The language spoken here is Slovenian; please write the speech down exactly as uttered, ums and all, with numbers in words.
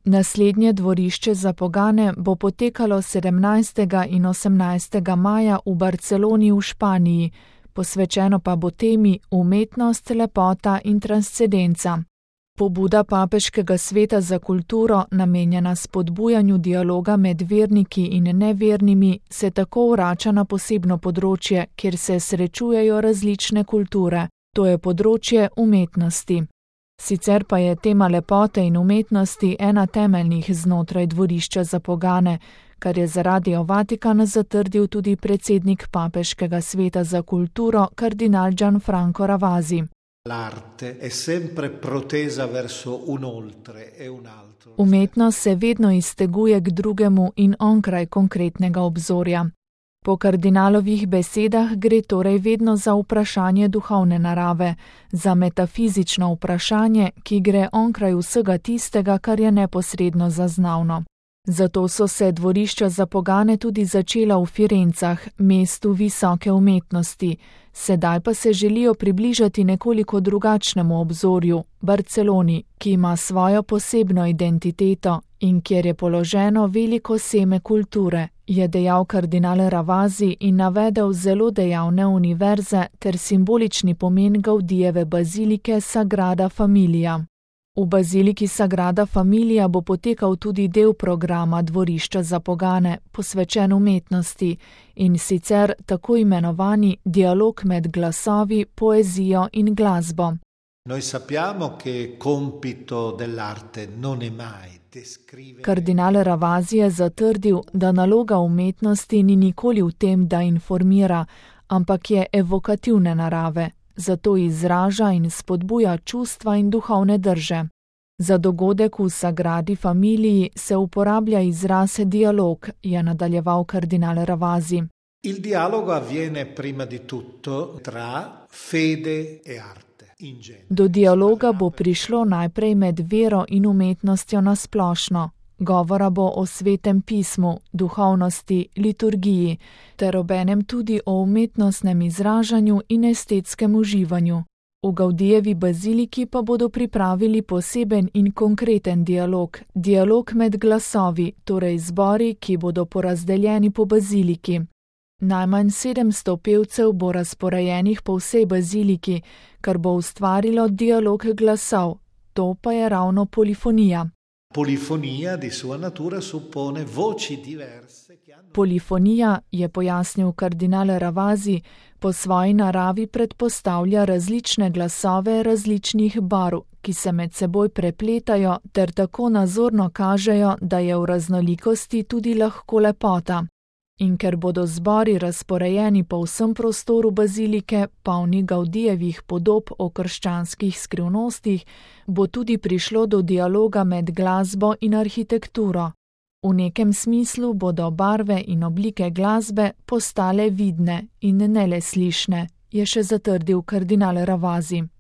Naslednje dvorišče za pogane bo potekalo sedemnajstega in osemnajstega maja v Barceloni v Španiji, posvečeno pa bo temi umetnost, lepota in transcendenca. Pobuda Papeškega sveta za kulturo, namenjena spodbujanju dialoga med verniki in nevernimi, se tako vrača na posebno področje, kjer se srečujejo različne kulture, to je področje umetnosti. Sicer pa je tema lepote in umetnosti ena temeljnih znotraj dvorišča za pogane, kar je za Radio Vatikan zatrdil tudi predsednik Papeškega sveta za kulturo, kardinal Gianfranco Ravasi. L'arte è sempre protesa verso un oltre e un altro. Umetnost se vedno izteguje k drugemu in onkraj konkretnega obzorja. Po kardinalovih besedah gre torej vedno za vprašanje duhovne narave, za metafizično vprašanje, ki gre onkraj vsega tistega, kar je neposredno zaznavno. Zato so se dvorišča za pogane tudi začela v Firencah, mestu visoke umetnosti, sedaj pa se želijo približati nekoliko drugačnemu obzorju, Barceloni, ki ima svojo posebno identiteto in kjer je položeno veliko seme kulture, je dejal kardinal Ravasi in navedel zelo dejavne univerze ter simbolični pomen Gaudijeve bazilike Sagrada Familia. V baziliki Sagrada Familia bo potekal tudi del programa dvorišča za pogane, posvečen umetnosti, in sicer tako imenovani dialog med glasovi, poezijo in glasbo. Noi sappiamo che compito dell'arte non è mai descrivere. Kardinal Ravasi je zatrdil, da naloga umetnosti ni nikoli v tem, da informira, ampak je evokativne narave. Zato izraža in spodbuja čustva in duhovne drže. Za dogodek v Sagradi Familiji se uporablja izraz dialog, je nadaljeval kardinal Ravasi. Il dialogo avviene prima di tutto tra fede e arte. Do dialoga bo prišlo najprej med vero in umetnostjo nasplošno. Govora bo o svetem pismu, duhovnosti, liturgiji, ter obenem tudi o umetnostnem izražanju in estetskem uživanju. V Gaudijevi baziliki pa bodo pripravili poseben in konkreten dialog, dialog med glasovi, torej zbori, ki bodo porazdeljeni po baziliki. Najmanj sedemsto pevcev bo razporejenih po vsej baziliki, kar bo ustvarilo dialog glasov, to pa je ravno polifonija. Polifonija di sua natura suppone voci diverse. Polifonija, je pojasnil kardinal Ravasi, po svoji naravi predpostavlja različne glasove različnih barv, ki se med seboj prepletajo ter tako nazorno kažejo, da je v raznolikosti tudi lahko lepota. In ker bodo zbori razporejeni po vsem prostoru bazilike, polni Gaudijevih podob o krščanskih skrivnostih, bo tudi prišlo do dialoga med glasbo in arhitekturo. V nekem smislu bodo barve in oblike glasbe postale vidne in ne le slišne, je še zatrdil kardinal Ravasi.